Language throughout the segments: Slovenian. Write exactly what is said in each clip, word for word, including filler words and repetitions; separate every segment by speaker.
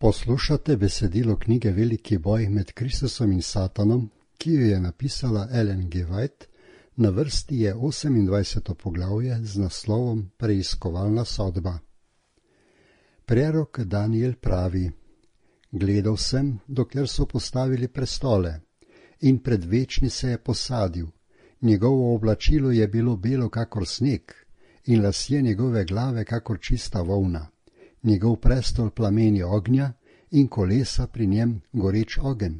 Speaker 1: Poslušate besedilo knjige Veliki boj med Kristusom in Satanom, ki jo je napisala Ellen G. White. Na vrsti je osemindvajseto poglavje z naslovom Preiskovalna sodba. Prerok Daniel pravi: Gledal sem, dokler so postavili prestole, in predvečni se je posadil. Njegovo oblačilo je bilo belo kakor sneg, in lasje njegove glave kakor čista volna. Njegov prestol plameni ognja in kolesa pri njem goreč ogenj.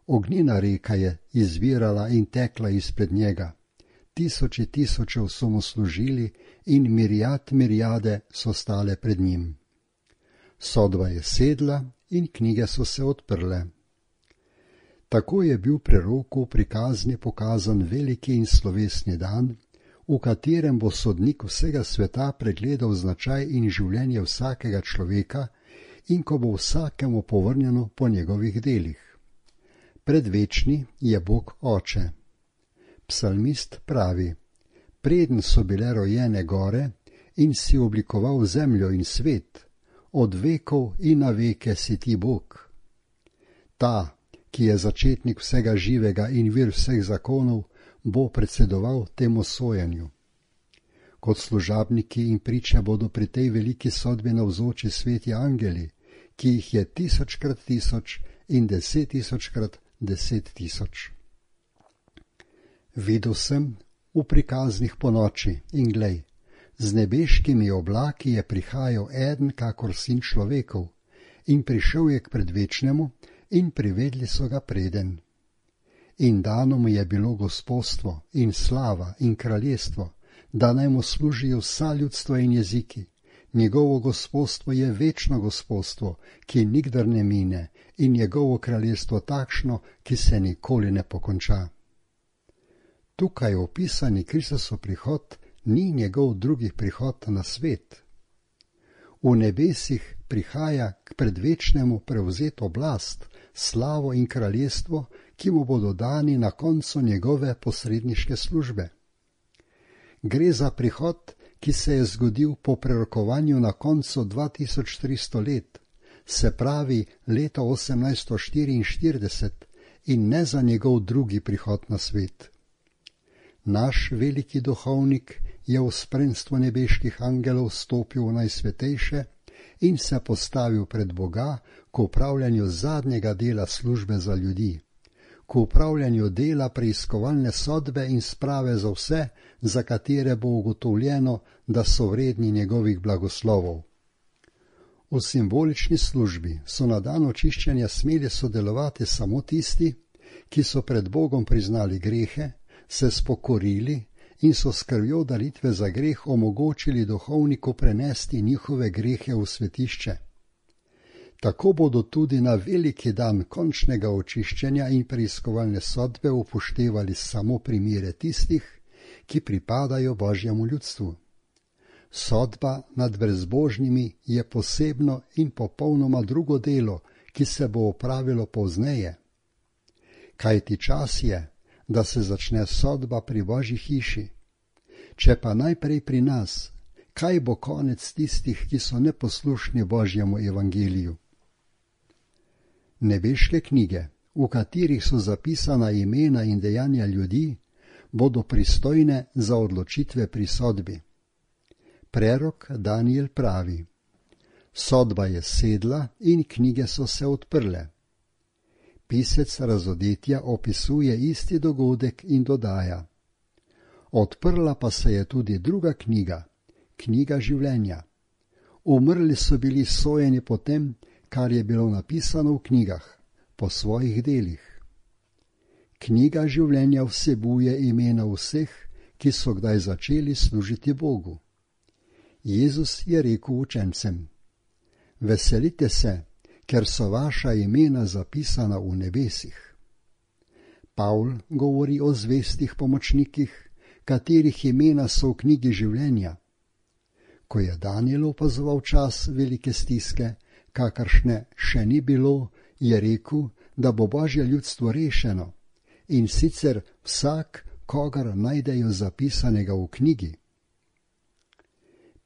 Speaker 1: Ognjena reka je izvirala in tekla izpred njega. Tisoči tisočev so mu služili in mirijad mirijade so stale pred njim. Sodba je sedla in knjige so se odprle. Tako je bil preroku pri kazni pokazan veliki in slovesni dan, v katerem bo sodnik vsega sveta pregledal značaj in življenje vsakega človeka in ko bo vsakemu povrnjeno po njegovih delih. Predvečni je Bog Oče. Psalmist pravi: Preden so bile rojene gore in si oblikoval zemljo in svet, od vekov in na veke si ti Bog. Ta, ki je začetnik vsega živega in vir vseh zakonov, bo predsedoval temu sojenju. Kot služabniki in priče bodo pri tej veliki sodbi navzoči sveti angeli, ki jih je tisočkrat tisoč in deset tisočkrat deset tisoč. Videl sem v prikaznih ponoči in glej, z nebeškimi oblaki je prihajal eden kakor sin človekov in prišel je k predvečnemu in privedli so ga preden. In dano mu je bilo gospodstvo in slava in kraljestvo, da naj mu služijo vsa ljudstva in jeziki. Njegovo gospodstvo je večno gospodstvo, ki nikdar ne mine, in njegovo kraljestvo takšno, ki se nikoli ne pokonča. Tukaj opisani Kristusov prihod ni njegov drugi prihod na svet. V nebesih prihaja k predvečnemu prevzeti oblast, slavo in kraljestvo, ki mu bodo dani na koncu njegove posredniške službe. Gre za prihod, ki se je zgodil po prerokovanju na koncu dva tisoč tristo let, se pravi leta osemnajststo štiriinštirideset, in ne za njegov drugi prihod na svet. Naš veliki duhovnik je v spremstvu nebeških angelov stopil v najsvetejše in se postavil pred Boga k upravljanju zadnjega dela službe za ljudi, k upravljanju dela preiskovalne sodbe in sprave za vse, za katere bo ugotovljeno, da so vredni njegovih blagoslovov. V simbolični službi so na dan očiščenja smeli sodelovati samo tisti, ki so pred Bogom priznali grehe, se spokorili in so s krvjo daritve za greh omogočili duhovniku prenesti njihove grehe v svetišče. Tako bodo tudi na veliki dan končnega očiščenja in preiskovalne sodbe upoštevali samo primere tistih, ki pripadajo Božjemu ljudstvu. Sodba nad brezbožnimi je posebno in popolnoma drugo delo, ki se bo opravilo pozneje. Kajti čas je, da se začne sodba pri Božji hiši. Če pa najprej pri nas, kaj bo konec tistih, ki so neposlušni Božjemu evangeliju? Nebeške knjige, v katerih so zapisana imena in dejanja ljudi, bodo pristojne za odločitve pri sodbi. Prerok Daniel pravi: Sodba je sedla in knjige so se odprle. Pisec Razodetja opisuje isti dogodek in dodaja: Odprla pa se je tudi druga knjiga, knjiga življenja. Umrli so bili sojeni po tem, kar je bilo napisano v knjigah, po svojih delih. Knjiga življenja vsebuje imena vseh, ki so kdaj začeli služiti Bogu. Jezus je rekel učencem: Veselite se, ker so vaša imena zapisana v nebesih. Pavl govori o zvestih pomočnikih, katerih imena so v knjigi življenja. Ko je Daniel opazoval čas velike stiske, kakršne še ni bilo, je rekel, da bo Božje ljudstvo rešeno, in sicer vsak, kogar najdejo zapisanega v knjigi.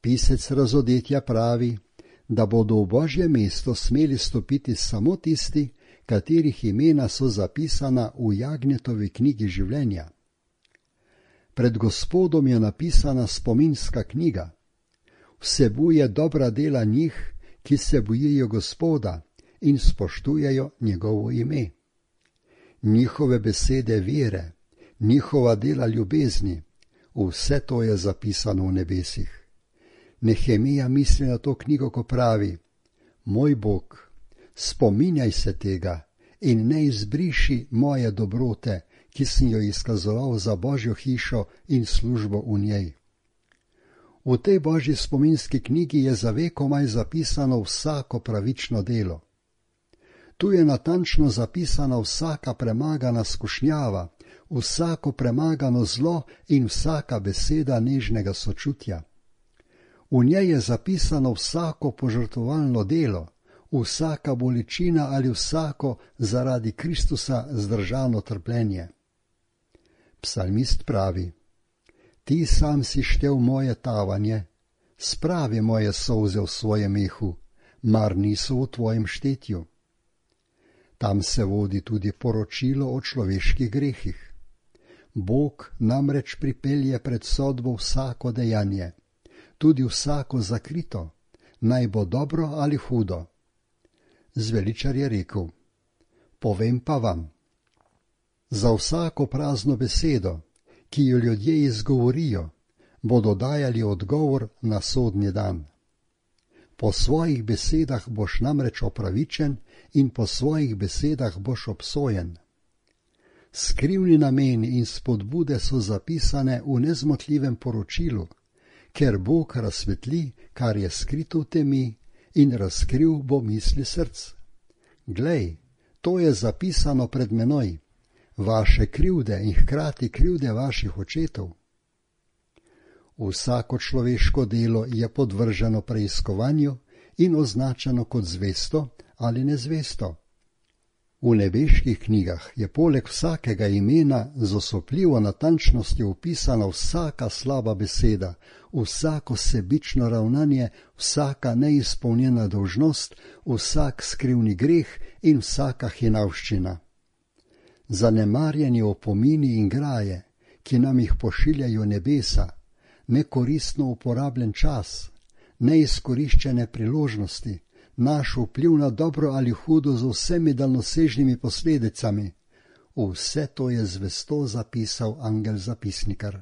Speaker 1: Pisec Razodetja pravi, da bodo v Božje mesto smeli stopiti samo tisti, katerih imena so zapisana v Jagnjetovi knjigi življenja. Pred Gospodom je napisana spominska knjiga. Vsebuje dobra dela njih, ki se bojijo Gospoda in spoštujejo njegovo ime. Njihove besede vere, njihova dela ljubezni, vse to je zapisano v nebesih. Nehemija misli na to knjigo, ko pravi: Moj Bog, spominjaj se tega in ne izbriši moje dobrote, ki sem jo izkazoval za Božjo hišo in službo v njej. V tej Božji spominski knjigi je za vekomaj zapisano vsako pravično delo. Tu je natančno zapisana vsaka premagana skušnjava, vsako premagano zlo in vsaka beseda nežnega sočutja. V njej je zapisano vsako požrtvovalno delo, vsaka bolečina ali vsako zaradi Kristusa zdržano trpljenje. Psalmist pravi: Ti sam si štel moje tavanje, spravi moje solze v svojem mehu, mar niso v tvojem štetju. Tam se vodi tudi poročilo o človeških grehih. Bog namreč pripelje pred sodbo vsako dejanje, tudi vsako zakrito, naj bo dobro ali hudo. Zveličar je rekel: Povem pa vam, za vsako prazno besedo, ki jo ljudje izgovorijo, bodo dajali odgovor na sodni dan. Po svojih besedah boš namreč opravičen in po svojih besedah boš obsojen. Skrivni nameni in spodbude so zapisane v nezmotljivem poročilu, ker Bog razsvetli, kar je skrito v temi, in razkril bo misli src. Glej, to je zapisano pred menoj, vaše krivde in hkrati krivde vaših očetov. Vsako človeško delo je podvrženo preiskovanju in označeno kot zvesto ali nezvesto. V nebeških knjigah je poleg vsakega imena z osupljivo natančnostjo opisana vsaka slaba beseda, vsako sebično ravnanje, vsaka neizpolnjena dolžnost, vsak skrivni greh in vsaka hinavščina. Zanemarjeni opomini in graje, ki nam jih pošiljajo nebesa, nekoristno uporabljen čas, neizkoriščene priložnosti, naš vpliv na dobro ali hudo z vsemi daljnosežnimi posledicami, vse to je zvesto zapisal angel zapisnikar.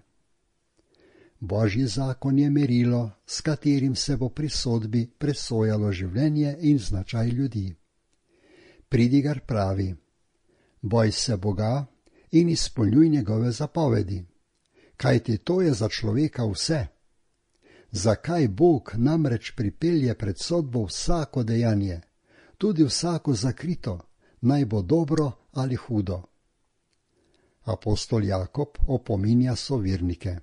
Speaker 1: Božji zakon je merilo, s katerim se bo pri sodbi presojalo življenje in značaj ljudi. Pridigar pravi: Boj se Boga in izpolnjuj njegove zapovedi, kajti to je za človeka vse. Zakaj Bog namreč pripelje pred sodbo vsako dejanje, tudi vsako zakrito, naj bo dobro ali hudo? Apostol Jakob opominja sovernike: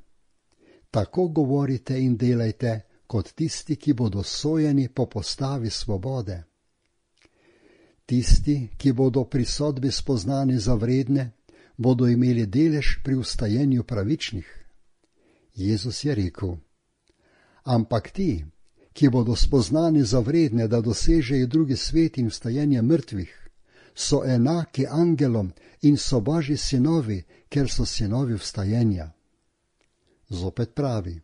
Speaker 1: Tako govorite in delajte, kot tisti, ki bodo sojeni po postavi svobode. Tisti, ki bodo pri sodbi spoznani za vredne, bodo imeli delež pri vstajenju pravičnih. Jezus je rekel: Ampak ti, ki bodo spoznani za vredne, da dosežejo drugi svet in vstajenje mrtvih, so enaki angelom in so Božji sinovi, ker so sinovi vstajenja. Zopet pravi: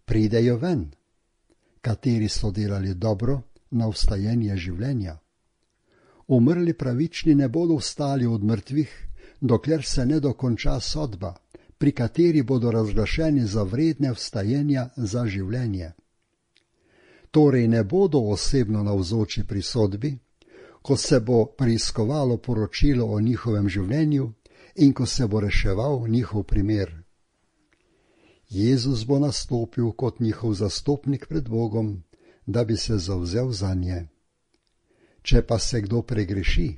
Speaker 1: Pridejo ven, kateri so delali dobro na vstajenje življenja. Umrli pravični ne bodo vstali od mrtvih, dokler se ne dokonča sodba, pri kateri bodo razglašeni za vredne vstajenja za življenje. Torej ne bodo osebno navzoči pri sodbi, ko se bo preiskovalo poročilo o njihovem življenju in ko se bo reševal njihov primer. Jezus bo nastopil kot njihov zastopnik pred Bogom, da bi se zavzel zanje. Če pa se kdo pregreši,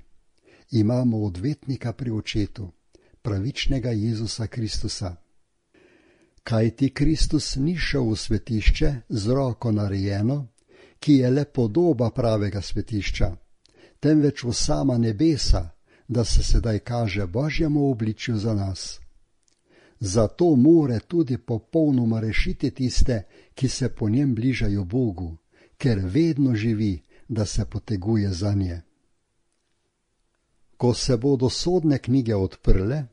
Speaker 1: imamo odvetnika pri očetu, pravičnega Jezusa Kristusa. Kajti Kristus ni šel v svetišče z roko narejeno, ki je le podoba pravega svetišča, temveč v sama nebesa, da se sedaj kaže Božjemu obličju za nas. Zato more tudi popolnoma rešiti tiste, ki se po njem bližajo Bogu, ker vedno živi, da se poteguje zanje. Ko se bodo sodne knjige odprle,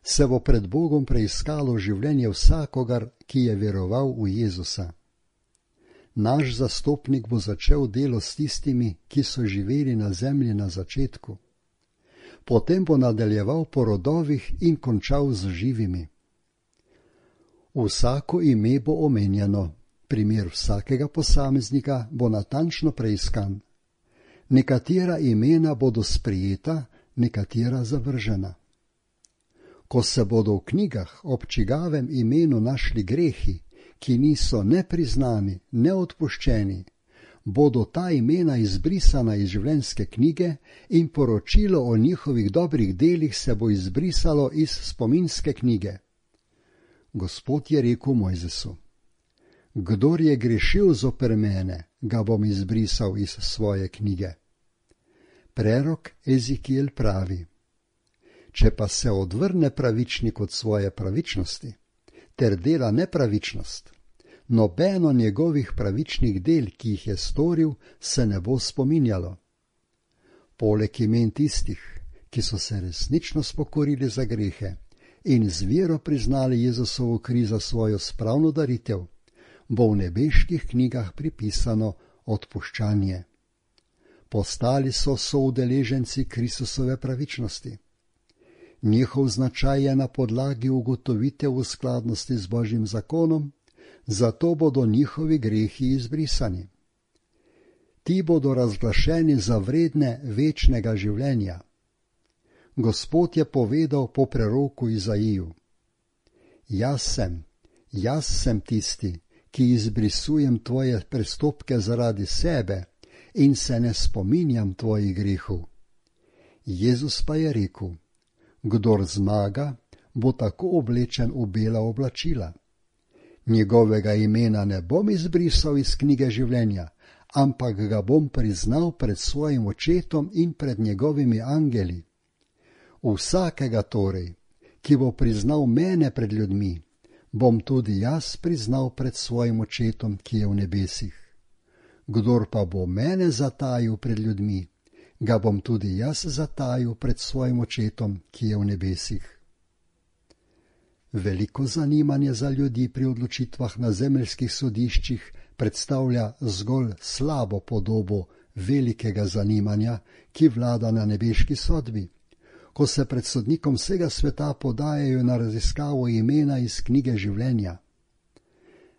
Speaker 1: se bo pred Bogom preiskalo življenje vsakogar, ki je veroval v Jezusa. Naš zastopnik bo začel delo s tistimi, ki so živeli na zemlji na začetku. Potem bo nadaljeval po rodovih in končal z živimi. Vsako ime bo omenjeno, primer vsakega posameznika bo natančno preiskan. Nekatera imena bodo sprijeta, nekatera zavržena. Ko se bodo v knjigah ob čigavem imenu našli grehi, ki niso ne priznani, ne odpuščeni, bodo ta imena izbrisana iz življenjske knjige in poročilo o njihovih dobrih delih se bo izbrisalo iz spominske knjige. Gospod je rekel Mojzesu: Kdor je grešil zoper mene, ga bom izbrisal iz svoje knjige. Prerok Ezekiel pravi: Če pa se odvrne pravičnik od svoje pravičnosti ter dela nepravičnost, nobeno njegovih pravičnih del, ki jih je storil, se ne bo spominjalo. Poleg imen tistih, ki so se resnično spokorili za grehe in z vero priznali Jezusovo kri za svojo spravno daritev, bo v nebeških knjigah pripisano odpuščanje. Postali so soudeleženci Kristusove pravičnosti. Njihov značaj je na podlagi ugotovitev v skladnosti z Božjim zakonom, zato bodo njihovi grehi izbrisani. Ti bodo razglašeni za vredne večnega življenja. Gospod je povedal po preroku Izaiju: Jaz sem, jaz sem tisti, ki izbrisujem tvoje prestopke zaradi sebe in se ne spominjam tvojih grehov. Jezus pa je rekel: Kdor zmaga, bo tako oblečen v bela oblačila. Njegovega imena ne bom izbrisal iz knjige življenja, ampak ga bom priznal pred svojim očetom in pred njegovimi angeli. Vsakega torej, ki bo priznal mene pred ljudmi, bom tudi jaz priznal pred svojim očetom, ki je v nebesih. Kdor pa bo mene zatajil pred ljudmi, ga bom tudi jaz zatajil pred svojim očetom, ki je v nebesih. Veliko zanimanje za ljudi pri odločitvah na zemeljskih sodiščih predstavlja zgolj slabo podobo velikega zanimanja, ki vlada na nebeški sodbi, ko se pred sodnikom vsega sveta podajajo na raziskavo imena iz knjige življenja.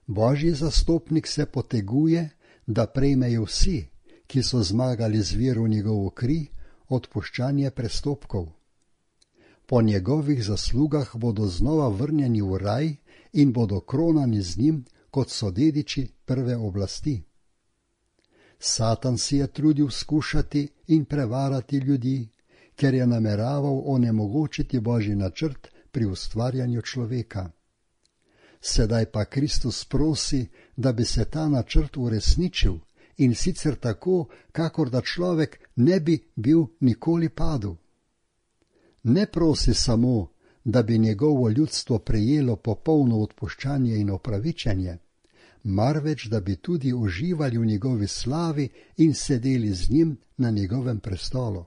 Speaker 1: Božji zastopnik se poteguje, da prejmejo vsi, ki so zmagali z vero v njegovo kri, odpuščanje prestopkov. Po njegovih zaslugah bodo znova vrnjeni v raj in bodo kronani z njim, kot so dediči prve oblasti. Satan si je trudil skušati in prevarati ljudi, ker je nameraval onemogočiti Božji načrt pri ustvarjanju človeka. Sedaj pa Kristus prosi, da bi se ta načrt uresničil, in sicer tako, kakor da človek ne bi bil nikoli padel. Ne prosi samo, da bi njegovo ljudstvo prejelo popolno odpuščanje in opravičenje, marveč da bi tudi uživali v njegovi slavi in sedeli z njim na njegovem prestolu.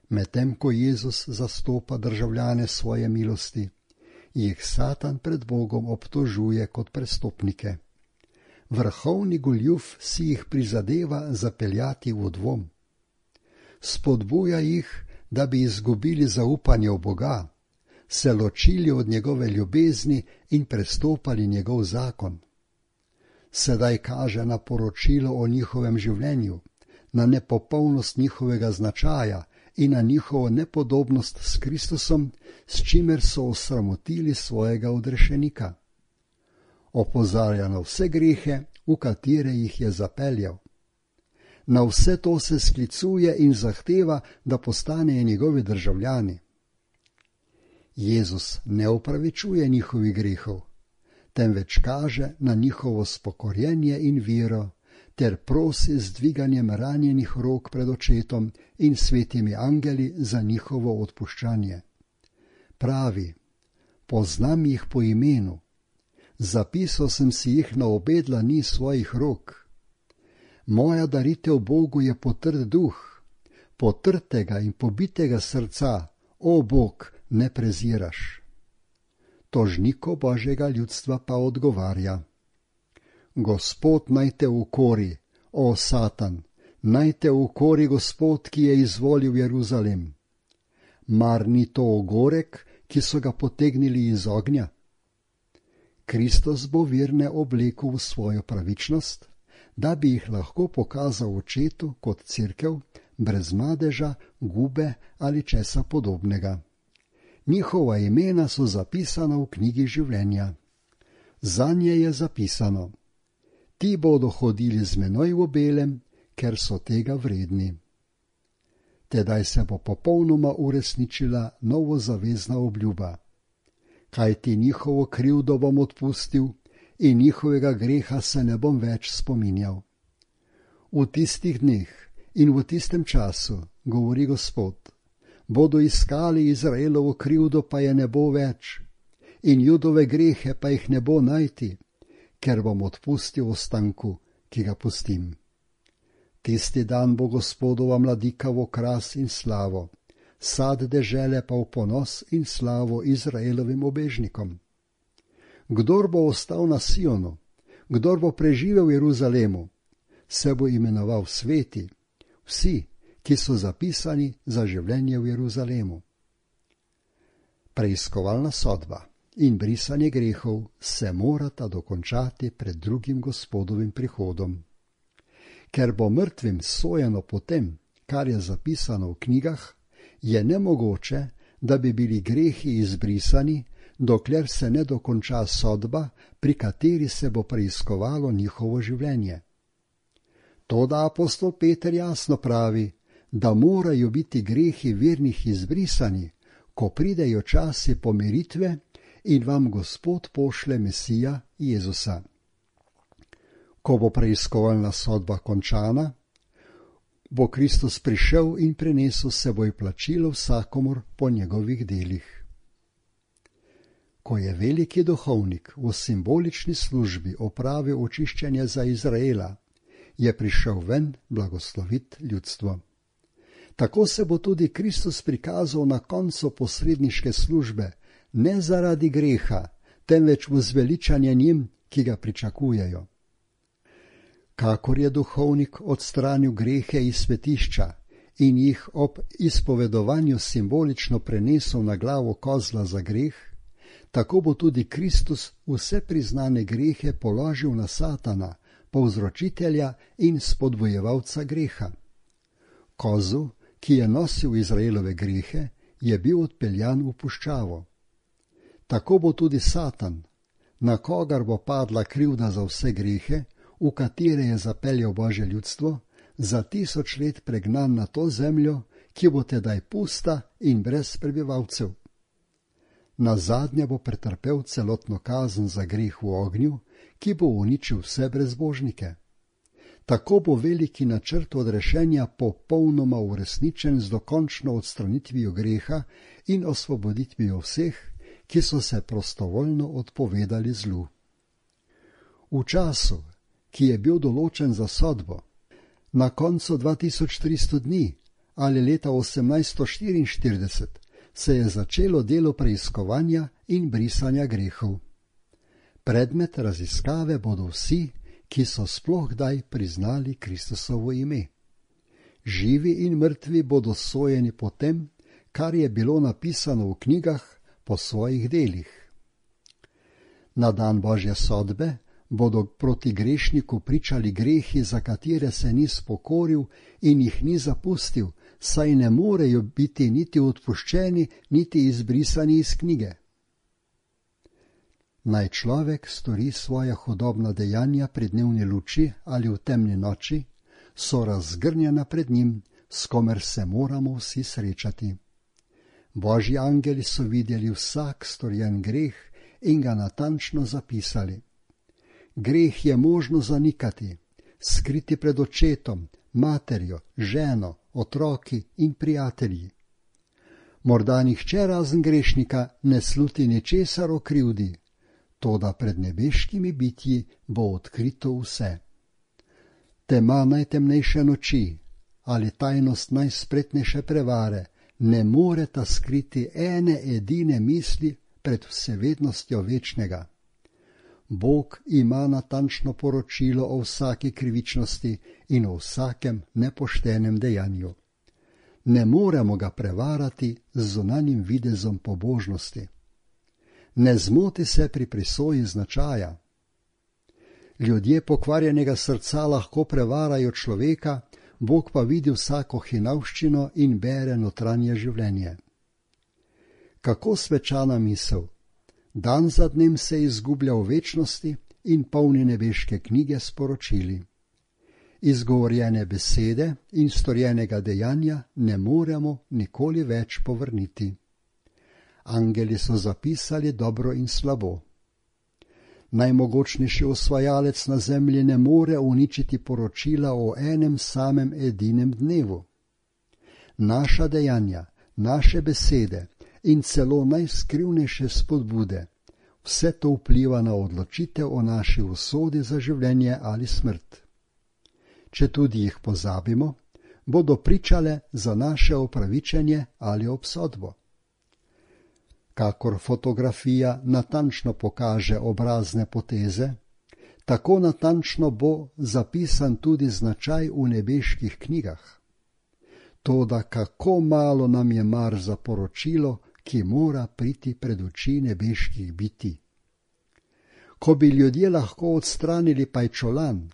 Speaker 1: Medtem ko Jezus zastopa državljane svoje milosti, jih Satan pred Bogom obtožuje kot prestopnike. Vrhovni goljuf si jih prizadeva zapeljati v dvom. Spodbuja jih, da bi izgubili zaupanje v Boga, se ločili od njegove ljubezni in prestopali njegov zakon. Sedaj kaže na poročilo o njihovem življenju, na nepopolnost njihovega značaja in na njihovo nepodobnost s Kristusom, s čimer so osramotili svojega odrešenika. Opozarja na vse grehe, v katere jih je zapeljal. Na vse to se sklicuje in zahteva, da postanejo njegovi državljani. Jezus ne opravičuje njihovih grehov, temveč kaže na njihovo spokorjenje in vero, ter prosi z dviganjem ranjenih rok pred očetom in svetimi angeli za njihovo odpuščanje. Pravi: Poznam jih po imenu, zapisal sem si jih na obe dlani svojih rok, Moja daritev Bogu je potrd duh, potrtega in pobitega srca, o Bog, ne preziraš. Tožniku Božjega ljudstva pa odgovarja: Gospod naj te ukori, o Satan, naj te ukori Gospod, ki je izvolil Jeruzalem. Mar ni to ogorek, ki so ga potegnili iz ognja? Kristus bo verne oblekel v svojo pravičnost, da bi jih lahko pokazal očetu kot cerkev, brez madeža, gube ali česa podobnega. Njihova imena so zapisana v knjigi življenja. Zanje je zapisano: Ti bodo hodili z menoj v belem, ker so tega vredni. Tedaj se bo popolnoma uresničila novozavezna obljuba. Kajti njihovo krivdo bom odpustil in njihovega greha se ne bom več spominjal. V tistih dneh in v tistem času, govori Gospod, bodo iskali Izraelovo krivdo, pa je ne bo več, in Judove grehe pa jih ne bo najti, ker bom odpustil ostanku, ki ga pustim. Tisti dan bo Gospodova mladika v okras in slavo, sad dežele pa v ponos in slavo Izraelovim obežnikom. Kdor bo ostal na Sionu, kdor bo preživel v Jeruzalemu, se bo imenoval sveti, vsi, ki so zapisani za življenje v Jeruzalemu. Preiskovalna sodba in brisanje grehov se morata dokončati pred drugim Gospodovim prihodom. Ker bo mrtvim sojeno po tem, kar je zapisano v knjigah, je nemogoče, da bi bili grehi izbrisani, dokler se ne dokonča sodba, pri kateri se bo preiskovalo njihovo življenje. Toda apostol Peter jasno pravi, da morajo biti grehi vernih izbrisani, ko pridejo časi pomiritve in vam Gospod pošle Mesija Jezusa. Ko bo preiskovalna sodba končana, bo Kristus prišel in prinesel seboj plačilo vsakomur po njegovih delih. Ko je veliki duhovnik v simbolični službi opravil očiščenje za Izraela, je prišel ven blagoslovit ljudstvo. Tako se bo tudi Kristus prikazal na koncu posredniške službe, ne zaradi greha, temveč v zveličanje njim, ki ga pričakujejo. Kakor je duhovnik odstranil grehe iz svetišča in jih ob izpovedovanju simbolično prenesel na glavo kozla za greh, tako bo tudi Kristus vse priznane grehe položil na Satana, povzročitelja in spodbojevalca greha. Kozel, ki je nosil Izraelove grehe, je bil odpeljan v puščavo. Tako bo tudi Satan, na kogar bo padla krivda za vse grehe, v katere je zapeljal Božje ljudstvo, za tisoč let pregnan na to zemljo, ki bo tedaj pusta in brez prebivalcev. Nazadnje bo pretrpel celotno kazen za greh v ognju, ki bo uničil vse brezbožnike. Tako bo veliki načrt odrešenja popolnoma uresničen z dokončno odstranitvijo greha in osvoboditvijo vseh, ki so se prostovoljno odpovedali zlu. V času, ki je bil določen za sodbo, na koncu dva tisoč tristo dni ali leta osemnajststo štiriinštirideset, se je začelo delo preiskovanja in brisanja grehov. Predmet raziskave bodo vsi, ki so sploh kdaj priznali Kristusovo ime. Živi in mrtvi bodo sojeni po tem, kar je bilo napisano v knjigah po svojih delih. Na dan Božje sodbe bodo proti grešniku pričali grehi, za katere se ni spokoril in jih ni zapustil, saj ne morejo biti niti odpuščeni, niti izbrisani iz knjige. Naj človek stori svoja hudobna dejanja pri dnevni luči ali v temni noči, so razgrnjena pred njim, s komer se moramo vsi srečati. Božji angeli so videli vsak storjen greh in ga natančno zapisali. Greh je možno zanikati, skriti pred očetom, materjo, ženo, otroki in prijatelji. Morda nihče razen grešnika ne sluti ničesar o krivdi, toda pred nebeškimi bitji bo odkrito vse. tema najtemnejše noči ali tajnost najspretnejše prevare ne moreta skriti ene edine misli pred vsevednostjo večnega. Bog ima natančno poročilo o vsaki krivičnosti in o vsakem nepoštenem dejanju. Ne moremo ga prevarati z zunanjim videzom pobožnosti. Ne zmoti se pri presoji značaja. Ljudje pokvarjenega srca lahko prevarajo človeka, Bog pa vidi vsako hinavščino in bere notranje življenje. Kako svečana misel! Dan za dnem se izgublja v večnosti in polni nebeške knjige sporočili. Izgovorjene besede in storjenega dejanja ne moremo nikoli več povrniti. Angeli so zapisali dobro in slabo. Najmogočnejši osvajalec na zemlji ne more uničiti poročila o enem samem edinem dnevu. Naša dejanja, naše besede in celo najskrivnejše spodbude, vse to vpliva na odločitev o naši usodi za življenje ali smrt. Če tudi jih pozabimo, bodo pričale za naše opravičenje ali obsodbo. Kakor fotografija natančno pokaže obrazne poteze, tako natančno bo zapisan tudi značaj v nebeških knjigah. Toda kako malo nam je mar za poročilo, ki mora priti pred oči nebeških bitij. Ko bi ljudje lahko odstranili pajčolan,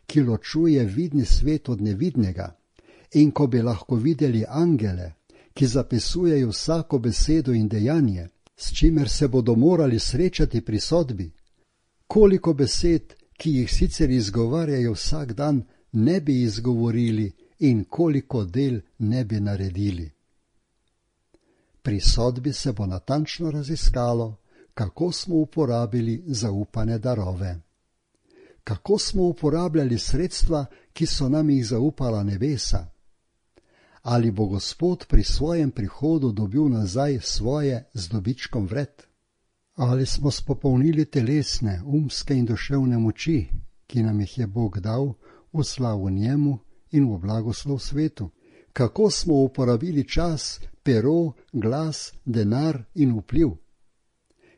Speaker 1: ki ločuje vidni svet od nevidnega, in ko bi lahko videli angele, ki zapisujejo vsako besedo in dejanje, s čimer se bodo morali srečati pri sodbi, koliko besed, ki jih sicer izgovarjajo vsak dan, ne bi izgovorili in koliko del ne bi naredili. Pri sodbi se bo natančno raziskalo, kako smo uporabili zaupane darove. Kako smo uporabljali sredstva, ki so nam jih zaupala nebesa? Ali bo Gospod pri svojem prihodu dobil nazaj svoje z dobičkom vred? Ali smo spopolnili telesne, umske in duševne moči, ki nam jih je Bog dal v slavu njemu in v blagoslov svetu? Kako smo uporabili čas, pero, glas, denar in vpliv?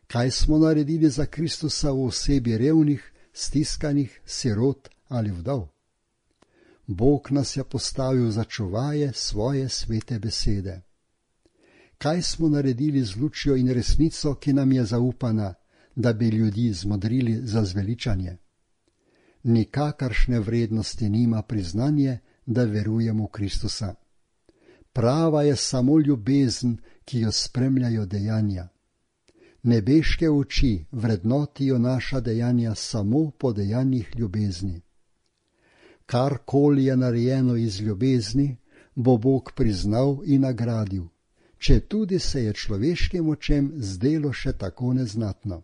Speaker 1: Kaj smo naredili za Kristusa v osebi revnih, stiskanih, sirot ali vdov? Bog nas je postavil za čuvaje svoje svete besede. Kaj smo naredili z lučjo in resnico, ki nam je zaupana, da bi ljudi zmodrili za zveličanje? Nikakršne vrednosti nima priznanje, da verujemo v Kristusa. Prava je samo ljubezen, ki jo spremljajo dejanja. Nebeške oči vrednotijo naša dejanja samo po dejanjih ljubezni. Karkoli je narejeno iz ljubezni, bo Bog priznal in nagradil, če tudi se je človeškim očem zdelo še tako neznatno.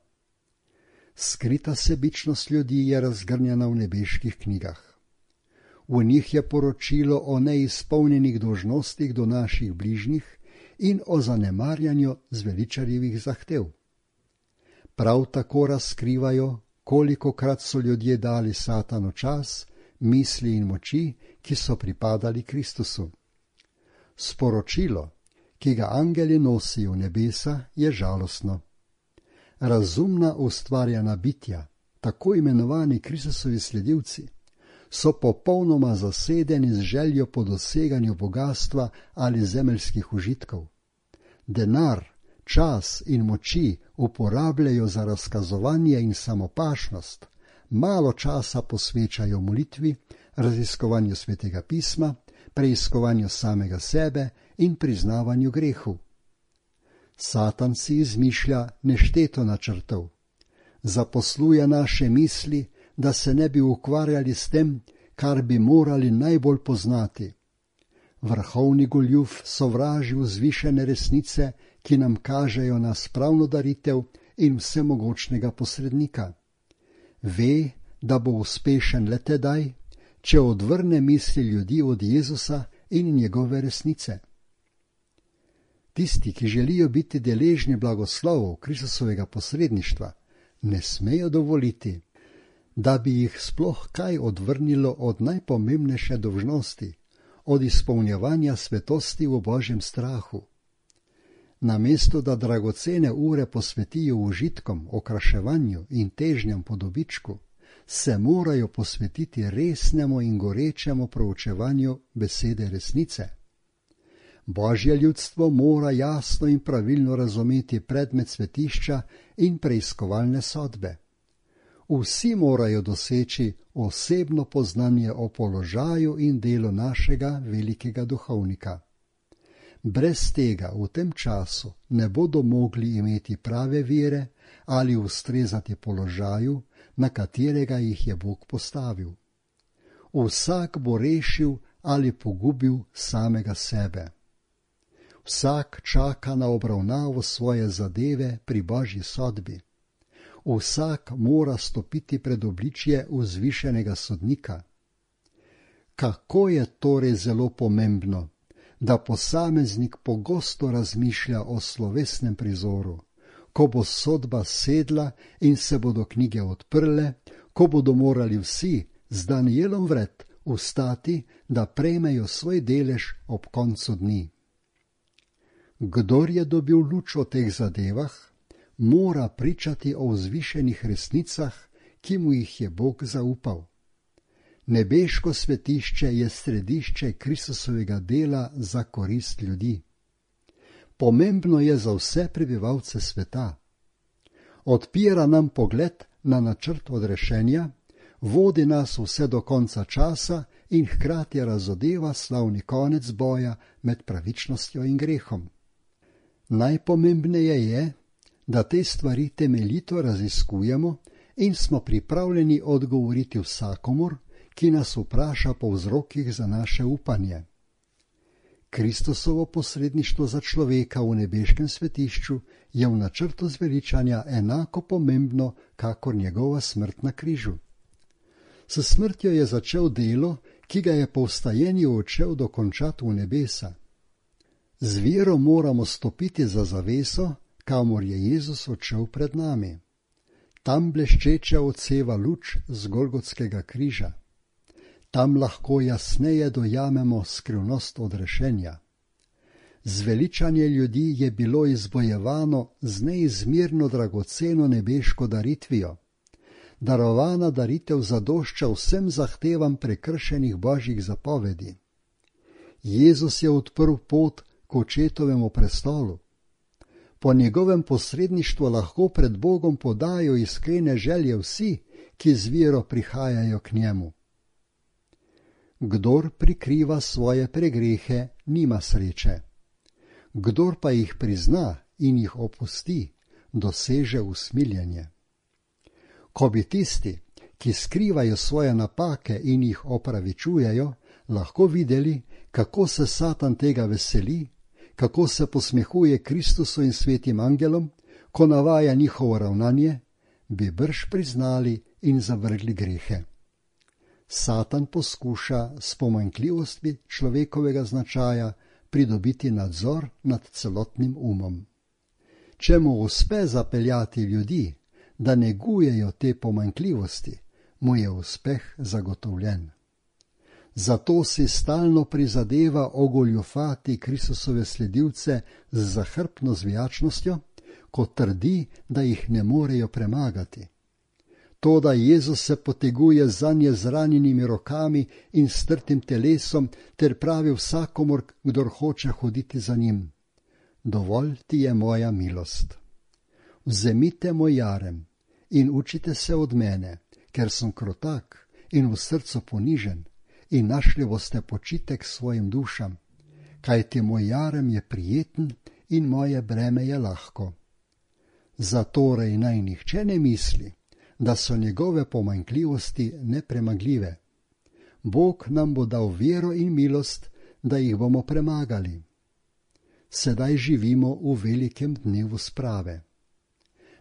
Speaker 1: Skrita sebičnost ljudi je razgrnjena v nebeških knjigah. V njih je poročilo o neizpolnjenih dolžnostih do naših bližnjih in o zanemarjanju zveličarjevih zahtev. Prav tako razkrivajo, kolikokrat so ljudje dali Satanu čas, misli in moči, ki so pripadali Kristusu. Sporočilo, ki ga angeli nosijo v nebesa, je žalostno. Razumna ustvarjena bitja, tako imenovani Kristusovi sledilci, so popolnoma zasedeni z željo po doseganju bogastva ali zemeljskih užitkov. Denar, čas in moči uporabljajo za razkazovanje in samopašnost, malo časa posvečajo molitvi, raziskovanju svetega pisma, preiskovanju samega sebe in priznavanju grehu. Satan si izmišlja nešteto načrtov. Zaposluje naše misli, da se ne bi ukvarjali s tem, kar bi morali najbolj poznati. Vrhovni goljuf sovraži vzvišene resnice, ki nam kažejo na spravno daritev in vsemogočnega posrednika. Ve, da bo uspešen le tedaj, če odvrne misli ljudi od Jezusa in njegove resnice. Tisti, ki želijo biti deležni blagoslovov Kristusovega posredništva, ne smejo dovoliti, da bi jih sploh kaj odvrnilo od najpomembnejše dolžnosti, od izpolnjevanja svetosti v Božjem strahu. Namesto da dragocene ure posvetijo užitkom, okraševanju in težnjam po dobičku, se morajo posvetiti resnemu in gorečemu proučevanju besede resnice. Božje ljudstvo mora jasno in pravilno razumeti predmet svetišča in preiskovalne sodbe. Vsi morajo doseči osebno poznanje o položaju in delu našega velikega duhovnika. Brez tega v tem času ne bodo mogli imeti prave vere ali ustrezati položaju, na katerega jih je Bog postavil. Vsak bo rešil ali pogubil samega sebe. Vsak čaka na obravnavo svoje zadeve pri Božji sodbi. Vsak mora stopiti pred obličje vzvišenega sodnika. Kako je torej zelo pomembno, da posameznik pogosto razmišlja o slovesnem prizoru, ko bo sodba sedla in se bodo knjige odprle, ko bodo morali vsi z Danijelom vred vstati, da prejmejo svoj delež ob koncu dni. Kdor je dobil luč o teh zadevah, mora pričati o vzvišenih resnicah, ki mu jih je Bog zaupal. Nebeško svetišče je središče Kristusovega dela za korist ljudi. Pomembno je za vse prebivalce sveta. Odpira nam pogled na načrt odrešenja, vodi nas vse do konca časa in hkrati razodeva slavni konec boja med pravičnostjo in grehom. Najpomembneje je, da te stvari temeljito raziskujemo in smo pripravljeni odgovoriti vsakomur, ki nas vpraša po vzrokih za naše upanje. Kristusovo posredništvo za človeka v nebeškem svetišču je v načrtu zveličanja enako pomembno, kakor njegova smrt na križu. S smrtjo je začel delo, ki ga je po vstajenju odšel dokončati v nebesa. Z vero moramo stopiti za zaveso, kamor je Jezus odšel pred nami. Tam bleščeče odseva luč z Golgotskega križa. Tam lahko jasneje dojamemo skrivnost odrešenja. Zveličanje ljudi je bilo izbojevano z neizmerno dragoceno nebeško daritvijo. Darovana daritev zadošča vsem zahtevam prekršenih Božjih zapovedi. Jezus je odprl pot k očetovemu prestolu. Po njegovem posredništvu lahko pred Bogom podajo iskrene želje vsi, ki z vero prihajajo k njemu. Kdor prikriva svoje pregrehe, nima sreče. Kdor pa jih prizna in jih opusti, doseže usmiljenje. Ko bi tisti, ki skrivajo svoje napake in jih opravičujejo, lahko videli, kako se Satan tega veseli, kako se posmehuje Kristusu in svetim angelom, ko navaja njihovo ravnanje, bi brž priznali in zavrgli grehe. Satan poskuša s pomanjkljivostmi človekovega značaja pridobiti nadzor nad celotnim umom. Če mu uspe zapeljati ljudi, da negujejo te pomanjkljivosti, mu je uspeh zagotovljen. Zato si stalno prizadeva ogoljufati Kristusove sledilce z zahrbtno zvijačnostjo, ko trdi, da jih ne morejo premagati. To, da Jezus se poteguje zanje z ranjenimi rokami in strtim telesom, ter pravi vsakomur, kdor hoče hoditi za njim: dovolj ti je moja milost. Vzemite moj jarem in učite se od mene, ker sem krotak in v srcu ponižen, in našli boste počitek svojim dušam, kajti moj jarem je prijeten in moje breme je lahko. Zatorej naj nihče ne misli, da so njegove pomanjkljivosti nepremagljive. Bog nam bo dal vero in milost, da jih bomo premagali. Sedaj živimo v velikem dnevu sprave.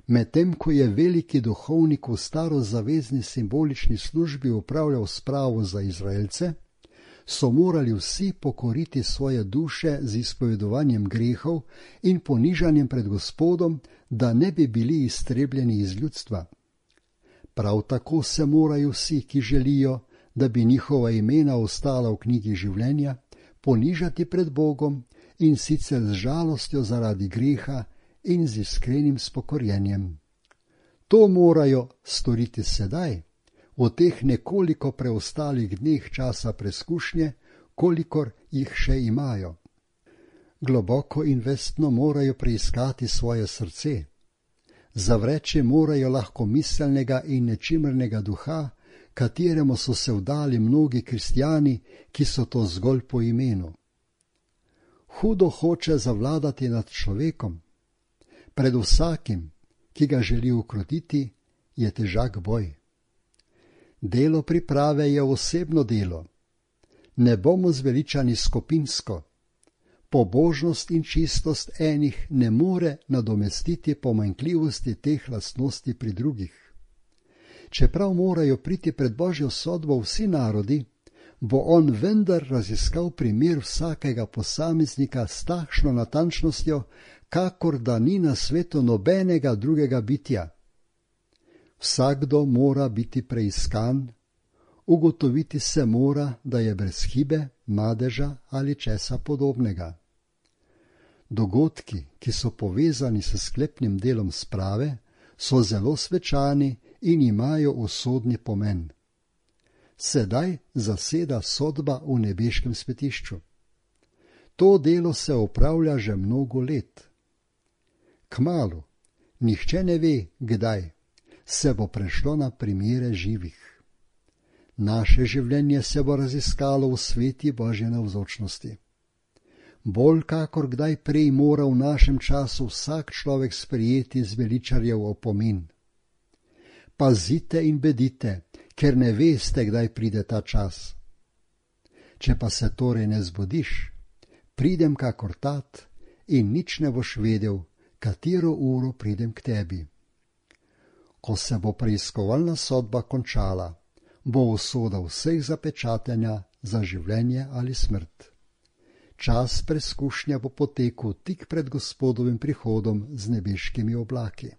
Speaker 1: Medtem ko je veliki duhovnik v starozavezni simbolični službi upravljal spravo za Izraelce, so morali vsi pokoriti svoje duše z izpovedovanjem grehov in ponižanjem pred Gospodom, da ne bi bili iztrebljeni iz ljudstva. Prav tako se morajo vsi, ki želijo, da bi njihova imena ostala v knjigi življenja, ponižati pred Bogom in sicer z žalostjo zaradi greha in z iskrenim spokorjenjem. To morajo storiti sedaj, v teh nekoliko preostalih dneh časa preskušnje, kolikor jih še imajo. Globoko in vestno morajo preiskati svoje srce. Zavreči morajo lahkomiselnega in nečimrnega duha, kateremu so se vdali mnogi kristjani, ki so to zgolj po imenu. Hudo hoče zavladati nad človekom. Pred vsakim, ki ga želi ukrotiti, je težak boj. Delo priprave je osebno delo. Ne bomo zveličani skupinsko. Pobožnost in čistost enih ne more nadomestiti pomanjkljivosti teh lastnosti pri drugih. Čeprav morajo priti pred Božjo sodbo vsi narodi, bo on vendar raziskal primer vsakega posameznika s takšno natančnostjo, kakor da ni na svetu nobenega drugega bitja. Vsakdo mora biti preiskan, ugotoviti se mora, da je brez hibe, madeža ali česa podobnega. Dogodki, ki so povezani s sklepnim delom sprave, so zelo svečani in imajo usodni pomen. Sedaj zaseda sodba v nebeškem svetišču. To delo se opravlja že mnogo let. Kmalu, nihče ne ve, kdaj, se bo prešlo na primere živih. Naše življenje se bo raziskalo v sveti Božje navzočnosti. Bolj kakor kdaj prej mora v našem času vsak človek sprejeti zveličarjev opomin. Pazite in bedite, ker ne veste, kdaj pride ta čas. Če pa se torej ne zbudiš, pridem kakor tat in nič ne boš vedel, katero uro pridem k tebi. Ko se bo preiskovalna sodba končala, bo usoda vseh zapečatenja za življenje ali smrt. Čas preskušnja bo potekel tik pred Gospodovim prihodom z nebeškimi oblaki.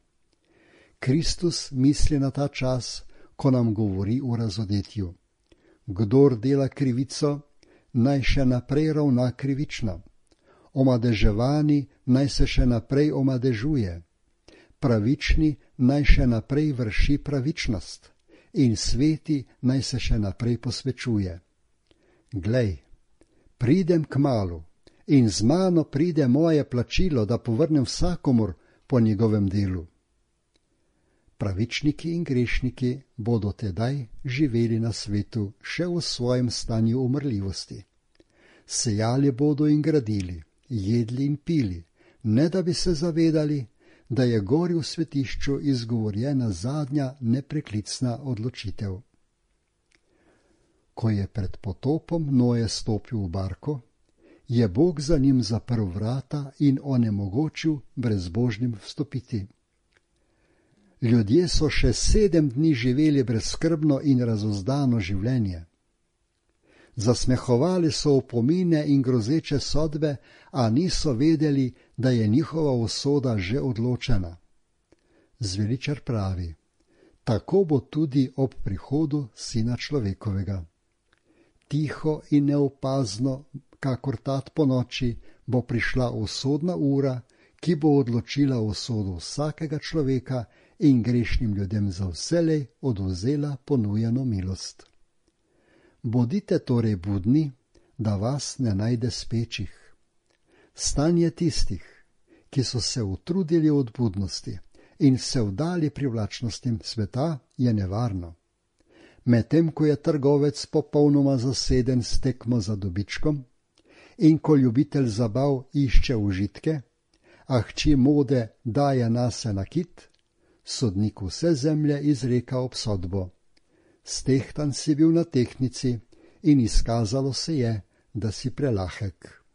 Speaker 1: Kristus misli na ta čas, ko nam govori o razodetju. Kdor dela krivico, naj še naprej ravna krivično. Omadeževani naj se še naprej omadežuje. Pravični naj še naprej vrši pravičnost. In sveti naj se še naprej posvečuje. Glej, pridem kmalu in z mano pride moje plačilo, da povrnem vsakomur po njegovem delu. Pravičniki in grešniki bodo tedaj živeli na svetu še v svojem stanju umrljivosti. Sejali bodo in gradili, jedli in pili, ne da bi se zavedali, da je gori v svetišču izgovorjena zadnja nepreklicna odločitev. Ko je pred potopom Noe stopil v barko, je Bog za njim zaprl vrata in onemogočil brezbožnim vstopiti. Ljudje so še sedem dni živeli brezskrbno in razozdano življenje. Zasmehovali so opomine in grozeče sodbe, a niso vedeli, da je njihova usoda že odločena. Zveličar pravi, tako bo tudi ob prihodu Sina človekovega. Tiho in neopazno, kakor tat po noči, bo prišla usodna ura, ki bo odločila usodo vsakega človeka in grešnim ljudem za vselej odvzela ponujeno milost. Bodite torej budni, da vas ne najde spečih. Stanje tistih, ki so se utrudili od budnosti in se vdali privlačnostim sveta, je nevarno. Medtem ko je trgovec popolnoma zaseden s tekmo za dobičkom in ko ljubitelj zabav išče užitke, a hči mode daje nase nakit, sodnik vse zemlje izreka obsodbo. Stehtan si bil na tehtnici in izkazalo se je, da si prelahek.